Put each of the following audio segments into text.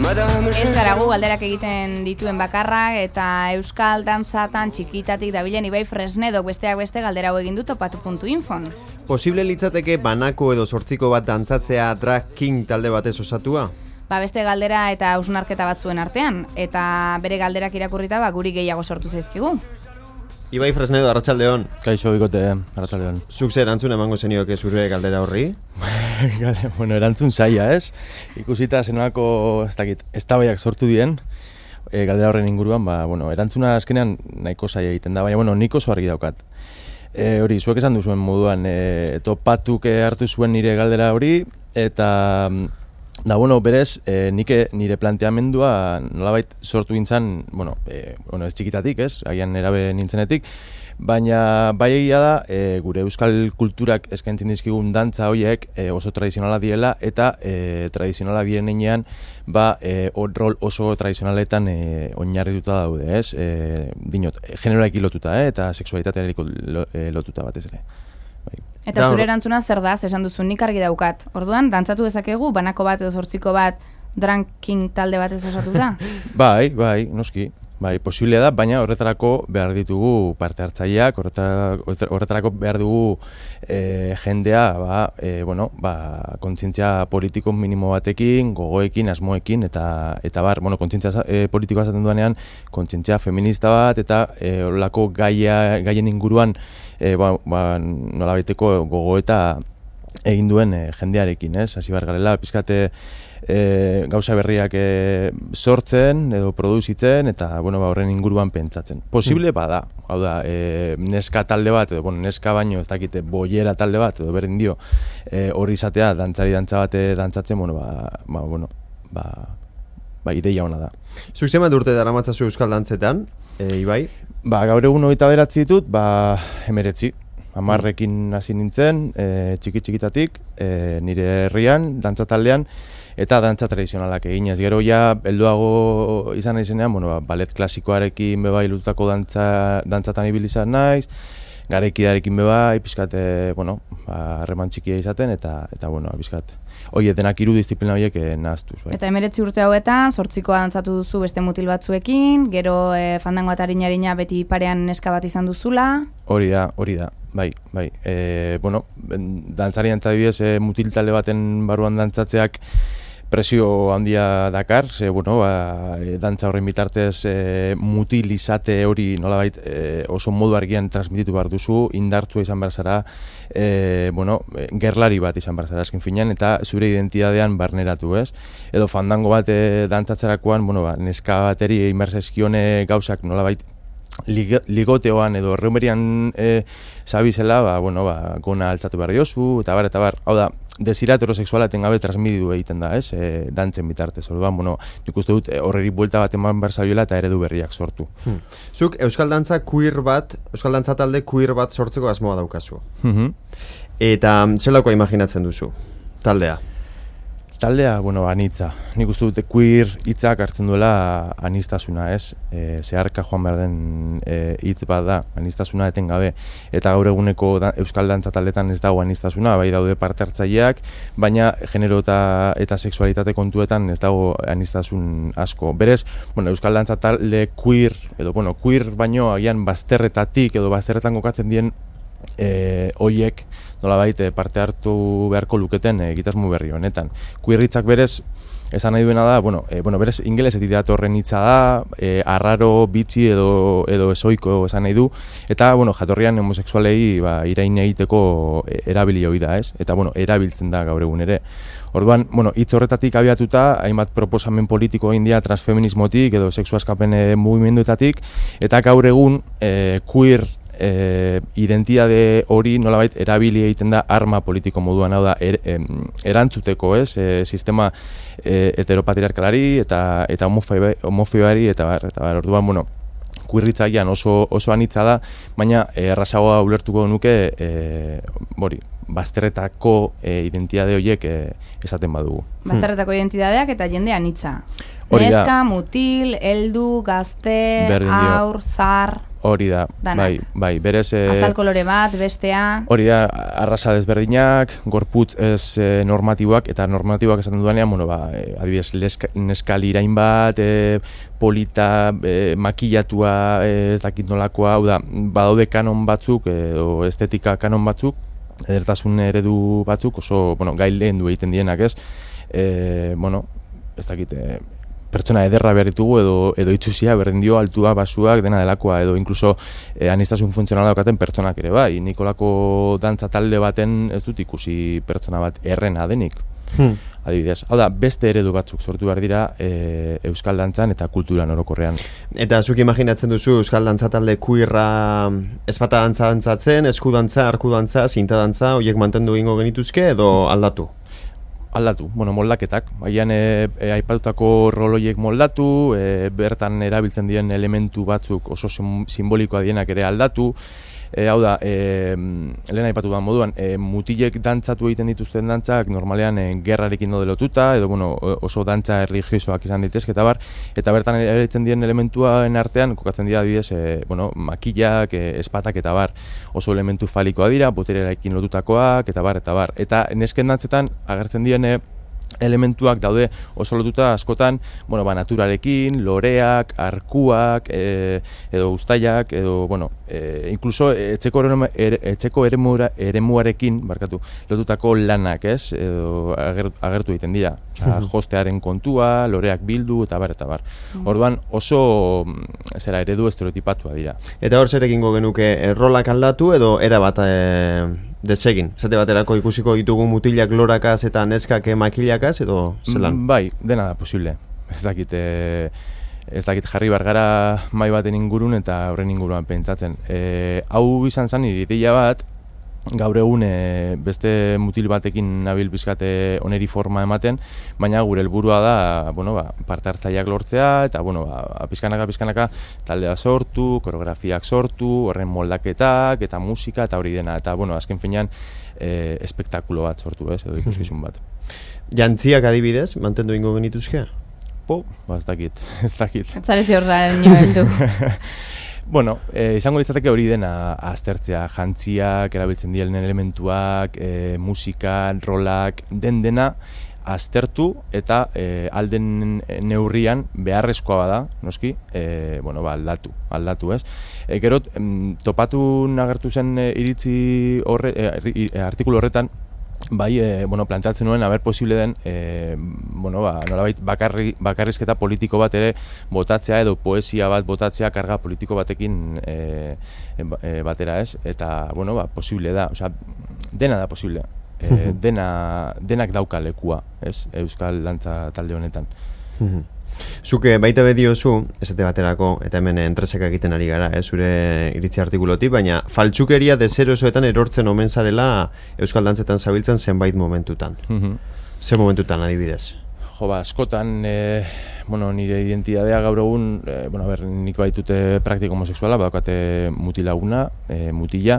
Ez gara gu galderak egiten dituen bakarrak eta euskal dantzatan txikitatik dabilen Ibai Fresnedok besteak beste galdera hau egin du topatu.infon. Posible litzateke banako edo sortziko bat dantzatzea drag king talde batez osatua? Beste galdera eta hausnarketa batzuen artean, eta bere galderak irakurrita guri gehiago sortu zaizkigu. Ibai Fresnedo, arratsaldeon. Kaixo bikote, arratsaldeon. Zuk zer erantzun emango zenioke zure galdera horri? Bueno, erantzun zaila, ez? Ikusita zenolako, eztabaidak sortu dien, galdera horren inguruan, erantzuna azkenean nahiko zaila egiten da, baina, nik oso argi daukat. Hori, zuek esan duzuen moduan, topatuk hartu zuen nire galdera hori, eta berez, nire planteamendua nolabait sortu gintzen, ez txikitatik, ez, agian erabe nintzenetik, baina bai egia da, gure euskal kulturak eskaintzen dizkigun dantza horiek oso tradizionala direla, eta tradizionala diren heinean, rol oso tradizionaletan oinarrituta daude, ez, dinot, generoarekin lotuta, eta sexualitatearekin lotuta batez ere. Eta zure erantzuna zer da, esan duzu nik argi daukat. Orduan, dantzatu dezakegu, banako bat edo sortziko bat drag king talde batez osatuta? Bai, noski. Bai, posiblea da, baina horretarako behar ditugu parte hartzaileak, horretarako behar dugu jendea, kontzientzia politiko minimo batekin, gogoekin, asmoekin, eta kontzientzia politikoa esaten duanean, kontzientzia feminista bat, eta horrelako gaien inguruan, nolabaiteko gogoeta egin duen jendearekin, ez? Hasi behar garela, pizkate gauza berriak sortzen edo produzitzen eta horren inguruan pentsatzen. Posible bada, hau da, neska talde bat, edo neska baino ez dakite boiera talde bat, edo berdin dio, hori izatea dantzari dantza bat dantzatzen, ideia ona da. Zuk zenbat urte daramatzazu euskal dantzetan, Ibai? Gaur egun 29 ditut, 19. 10ekin hasi nintzen, txikitatik, nire herrian, dantza taldean, eta dantza tradizionalak eginez. Gero helduago izan naizenean, ballet klasikoarekin bebai lotutako dantzatan ibilizan naiz, garaikidarekin bebai, pizkat, harreman txikia izaten, eta pizkat, denak hiru disiplina horiek nahaztuz. Eta 19 urte hauetan, sortzikoa dantzatu duzu beste mutil batzuekin, gero fandango eta harina beti parean neska bat izan duzula. Hori da. Bai. Dantzarian eta adibidez mutil talde baten barruan dantzatzeak presio handia dakar, dantza horren bitartez mutil izate hori nolabait oso modu argian transmititu behar duzu, indartzua izan behar zara, gerlari bat izan behar zara eskin finean, eta zure identidadean barneratu, ez? Edo fandango bat dantzatzerakoan, neska bateri inbertsaizkione gauzak nolabait ligoteoan edo reumerian zabizela, gona altzatu behar diozu, eta bar. Hau da, desira heterosexuala etengabe transmititu egiten da, ez? Dantzen bitartez. Nik uste dut horreri buelta bat eman behar zabiola eta eredu berriak sortu. Zuk euskal dantza talde queer bat sortzeko asmoa daukazu. Eta zelako imaginatzen duzu taldea? Taldea, anitza. Nik uste dute queer hitzak hartzen duela anistasuna, ez? Zeharka joan behar den hitz bat da, anistasuna etengabe. Eta gaur eguneko euskal dantza taldetan ez dago anistasuna, bai daude parte hartzaileak, baina genero eta sexualitate kontuetan ez dago anistasun asko. Berez, euskal dantza talde queer, edo queer baino agian bazterretatik edo bazterretan kokatzen dien hoiek nolabait parte hartu beharko luketen egitasmo berri honetan. Queerritzak berez, esan nahi duena da, berez ingelesetik datorren hitza da, arraro, bitxi edo esoiko esan nahi du, eta jatorrian homosexualei irain egiteko erabili hori da, ez? Eta erabiltzen da gaur egun ere. Orduan, hitz horretatik abiatuta, hainbat proposamen politiko egin dira transfeminismotik edo sexu askapen mugimenduetatik, eta gaur egun queer identitate hori nolabait erabili egiten da arma politiko moduan, hau da erantzuteko, ez? Sistema heteropatriarkalari eta homofobari eta bar. Orduan, queerritzailean oso anitza da, baina errazagoa ulertuko nuke bazterretako identitate horiek esaten badugu. Bazterretako identitateak eta jende anitza. Neska, mutil, heldu, gazte, aur, zar. Hori da, bai, berez... Azal kolore bat, bestea... Hori da, arrasa desberdinak, gorputz ez normatiboak, eta normatiboak esaten dudanean, adibidez, neskal irain bat, polita, makillatua, ez dakit nolakoa, hau da, badaude kanon batzuk, edo estetika kanon batzuk, edertasun eredu batzuk, oso, gai lehen du egiten dienak, ez? Ez dakit, pertsona ederra behar ditugu edo itxusia, berdindio, altua, basuak, dena delakoa, edo inkluso aniztasun funtzionala daukaten pertsonak ere, bai. Nikolako dantza talde baten ez dut ikusi pertsona bat errena denik. Adibidez. Hau da, beste eredu batzuk sortu behar dira euskal dantzan eta kulturan orokorrean. Eta zuk imaginatzen duzu euskal dantza talde kuirra ezpata dantzatzen, eskudantza, arkudantza, zinta dantza, horiek mantendu egingo genituzke edo aldatu? Aldatu, moldaketak. Baina aipatutako roloiek moldatu, bertan erabiltzen diren elementu batzuk oso simbolikoa dienak ere aldatu. Hau da, lehen aipatu da moduan, mutilek dantzatu egiten dituzten dantzak normalean gerrarekin daude lotuta, edo oso dantza erlijiosoak izan daitezke eta bertan erabiltzen diren elementuaren artean kokatzen dira adibidez, makillak, espatak eta oso elementu falikoa dira, boterearekin lotutakoak eta bar. Eta nesken dantzetan agertzen diren elementuak daude oso lotuta askotan, naturarekin, loreak, arkuak, edo uztailak, edo, inkluso etxeko eremuarekin, lotutako lanak, ez, edo agertu egiten dira. Jostearen kontua, loreak bildu, eta bar. Orduan oso eredu estereotipatua dira. Eta hor zer egingo genuke, rolak aldatu edo erabat desegin? Zate baterako ikusiko ditugu mutilak lorakaz eta neskak makillakaz edo zelan? Bai, dena da posible. Ez dakit jarri bargara mai baten ingurun eta horren inguruan pentsatzen. Hau izan zen nire ideia bat, gaur egun beste mutil batekin nabil bizkate oneri forma ematen, baina gure helburua da, parte hartzaileak lortzea eta pizkanaka taldea sortu, koreografiak sortu, horren moldaketak eta musika eta hori dena eta azken finean espektakulo bat sortu, edo ikuskizun bat. Jantziak adibidez, mantendu ingo genituzkea? Ez dakit. Zarete horraren nioeldu. Izango litzateke hori dena aztertzea, jantziak, erabiltzen diren elementuak, musika, rolak, dena aztertu eta alden neurrian beharrezkoa bada, noski, aldatu, ez? Gero, topatu nagertu zen iritzi artikulu horretan, planteatzen nuen, posible den, nolabait bakarrizketa politiko bat ere botatzea edo poesia bat botatzea karga politiko batekin batera, ez? Eta, posible da, dena da posible. Denak dauka lekua, ez? Euskal dantza talde honetan. Zuke baita bediozu, esate baterako, eta hemen entreseka egiten ari gara, zure iritzi artikulotik, baina faltsukeria deserosoetan erortzen omen zarela euskal dantzetan zabiltzen zenbait momentutan. Zer momentutan adibidez? Askotan, nire identidadea gaur egun, nik baitute praktiko homosexuala, badaukate mutilaguna, mutila,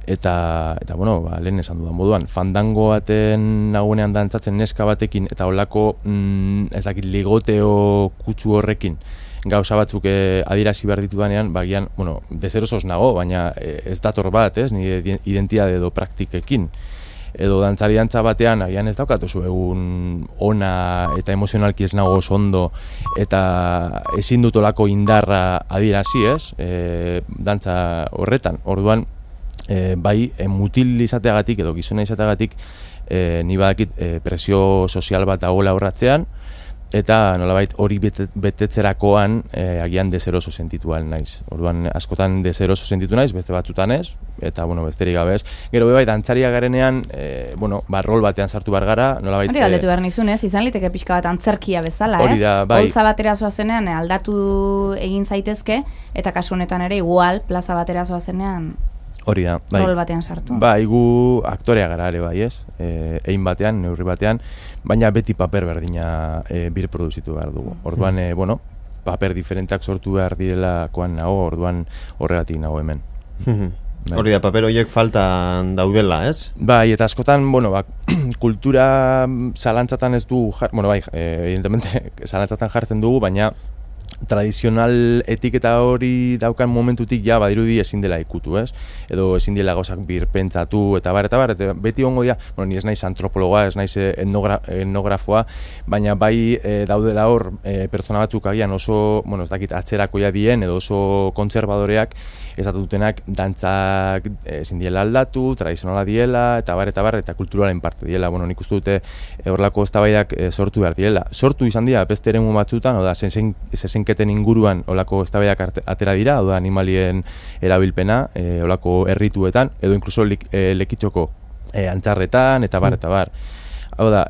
eta lehen esan dudan moduan, fandango baten nagunean dantzatzen neska batekin eta holako ligoteo kutsu horrekin gauza batzuk adierazi behar ditudanean, bagian, deserosoz nago, baina ez dator bat, ez, nire identitate edo praktikekin. Edo dantzari dantza batean, agian ez daukat oso egun ona eta emozionalki ez nago oso ondo eta ezin dut olako indarra adierazi, ez, dantza horretan. Orduan, bai, mutil izateagatik edo gizona izateagatik ni badakit presio sozial bat dagoela aurratzean eta nolabait hori betetzerakoan agian deseroso sentitu naiz. Orduan askotan deseroso sentitu naiz, beste batzutan ez, eta besterik gabe ez. Gero bai, dantzaria garenean, rol batean sartu behar gara, nolabait... Hori galdetu behar nizun, ez? Izan liteke pixka bat antzerkia bezala, ez? Hori da, bai. Holtza batera zoazenean aldatu egin zaitezke, eta kasu honetan ere igual plaza batera zoazenean... Hori da, bai. Rol batean sartu. Bai, gu aktorea gara ere bai, ez? Egin batean, neurri batean, baina beti paper berdina birproduzitu behar dugu. Orduan, paper diferenteak sortu behar direlakoan nago, orduan horregatik nago hemen. Hori da, paper horiek faltan daudela, ez? Bai, eta askotan, kultura zalantzatan ez du, evidentemente, zalantzatan jartzen dugu, baina tradizional etiketa hori daukan momentutik ja badirudi ezin dela ikutu, ez? Edo ezin dela gauzak birpentsatu eta eta beti ongo dira, bueno, ni ez naiz antropologa, ez naiz etnografoa, baina bai daudela hor pertsona batzuk agian oso, bueno, ez dakit atzerakoia dien edo oso kontserbadoreak esatu dutenak dantzak ezin diela aldatu, tradizionala diela eta eta kulturalen parte diela. Bueno, nik uste dute horrelako eztabaidak sortu behar diela. Sortu izan dira beste eremu batzutan, oda zezenketen inguruan olako eztabaidak atera dira, oda animalien erabilpena, olako errituetan, edo inkluso lekitxoko antzarretan, eta bar. Hau da,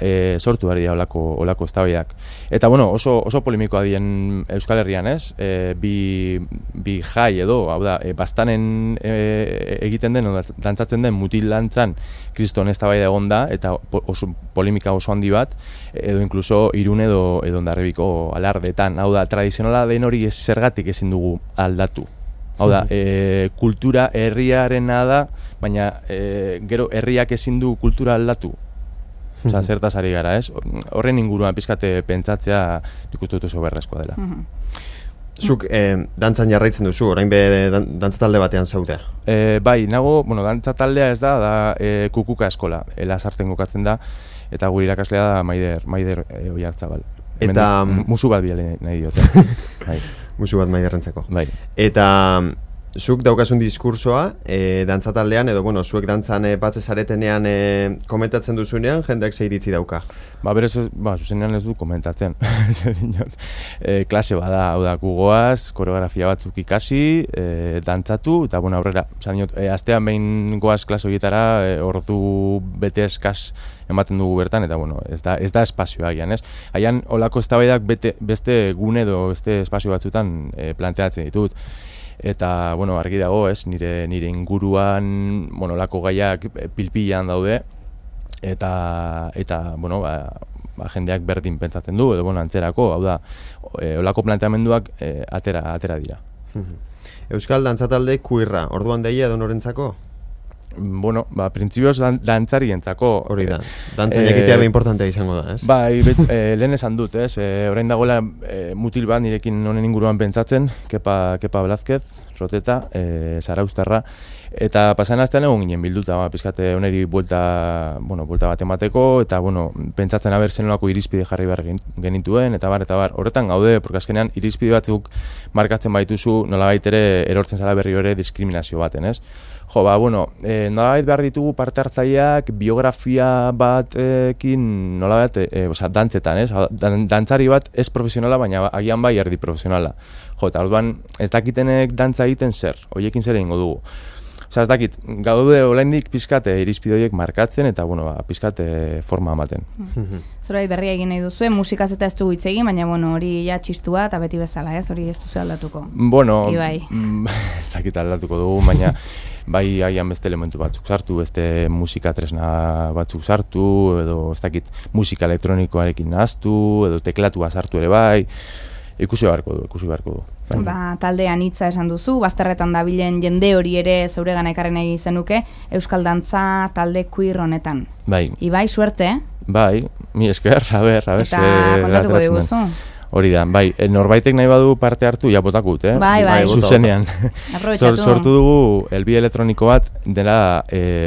sortu behar dira olako eztabaidak. Eta, bueno, oso polemikoa dien Euskal Herrian, ez? Bi jai edo, hau da, bastanen egiten den, dantzatzen den mutil dantzan kriston eztabaida egon da, eta oso polemika oso handi bat, edo inkluso Irun edo Hondarribiko alardeetan. Hau da, tradizionala den hori zergatik ezin dugu aldatu. Hau da, kultura herriarena da, baina gero herriak ezin du kultura aldatu. Osa, zertaz ari gara, ez? Horren inguruan pizkate pentsatzea nik uste dut oso berrezkoa dela. Zuk dantzan jarraitzen duzu, orain be dantzatalde batean zaude? Bai, nago, bueno, dantzataldea ez da Kukuka eskola, Lasarten kokatzen da, eta gure irakaslea da Maider Oiartzabal. Eta musu bat biale nahi diote. Bai. Musu bat Maiderrentzako. Bai. Eta zuk daukasun diskursoa, dantzataldean, edo, bueno, zuek dantzan batze zaretenean komentatzen duzunean, jendeak ze iritzi dauka? Berez, zuzenean ez du komentatzen. Klase bada, hau da, gugoaz, koreografia batzuk ikasi, dantzatu, eta, bueno, aurrera, astean behin goaz klase horietara, ordu bete eskas ematen dugu bertan, eta, bueno, ez da espazioa agian, ez? Haian, olako eztabaidak beste gune edo beste espazio batzutan planteatzen ditut. Eta, bueno, argi dago, ez, nire inguruan, bueno, olako gaiak pilpilan daude, eta bueno, jendeak berdin pentsatzen du, edo, bueno, antzerako, hau da, olako planteamenduak atera dira. Euskal dantzatalde queerra, orduan deia edo norentzako? Bueno, printzipioz dantzarientzako. Hori da, dantzan jakitea importantea izango da, ez? Bai, lehen esan dut, ez? Orain dagoela mutil bat nirekin honen inguruan pentsatzen, Kepa Blazquez, Roteta, Zarauztarra, eta pasan astean egon ginen bilduta, pizkate honeri buelta bat emateko, eta, bueno, pentsatzen aber zenolako irizpide jarri behar genituen, eta bar. Horretan gaude, porque azkenean irizpide batzuk markatzen baituzu, nolabait ere erortzen zala berri ere diskriminazio baten, ez? Jo, bueno, nolabait behar ditugu parte hartzaileak biografia batekin nolabait, dantzetan, ez? Dantzari bat ez profesionala, baina agian bai erdi profesionala. Jo, eta orduan ez dakitenek dantza egiten zer, horiekin zer egingo dugu. Osa, ez dakit, gaude olaindik pizkate irizpide horiek markatzen eta, bueno, pizkate forma ematen. Zerbait berria egin nahi duzue, musikaz eta ez dugu hitz egin, baina, bueno, hori ja txistua eta beti bezala, ez? Hori ez duzu aldatuko. Bueno, ez dakit aldatuko dugu, baina bai agian beste elementu batzuk sartu, beste musika tresna batzuk sartu, edo ez dakit musika elektronikoarekin nahaztu, edo teklatua sartu ere bai, ikusi beharko du. Taldean hitza esan duzu, bazterretan dabilen jende hori ere zeuregan ekarri nahi zenuke, Euskal Dantza talde queer honetan. Bai. Ibai, suerte? Bai, mi esker, a ber, eta kontatuko diguzu. Hori da, bai, norbaitek nahi badu parte hartu, ja botakut, Bai. Zuzenean. Sortu dugu elbi elektroniko bat, dela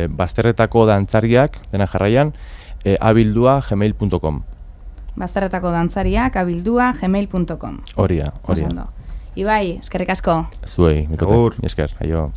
bazterretako dantzariak, dena jarraian, abildua.gmail.com. Bazterretako dantzariak, abildua.gmail.com. Hori da. Ibai, eskerrik asko. Zuei, esker, aio.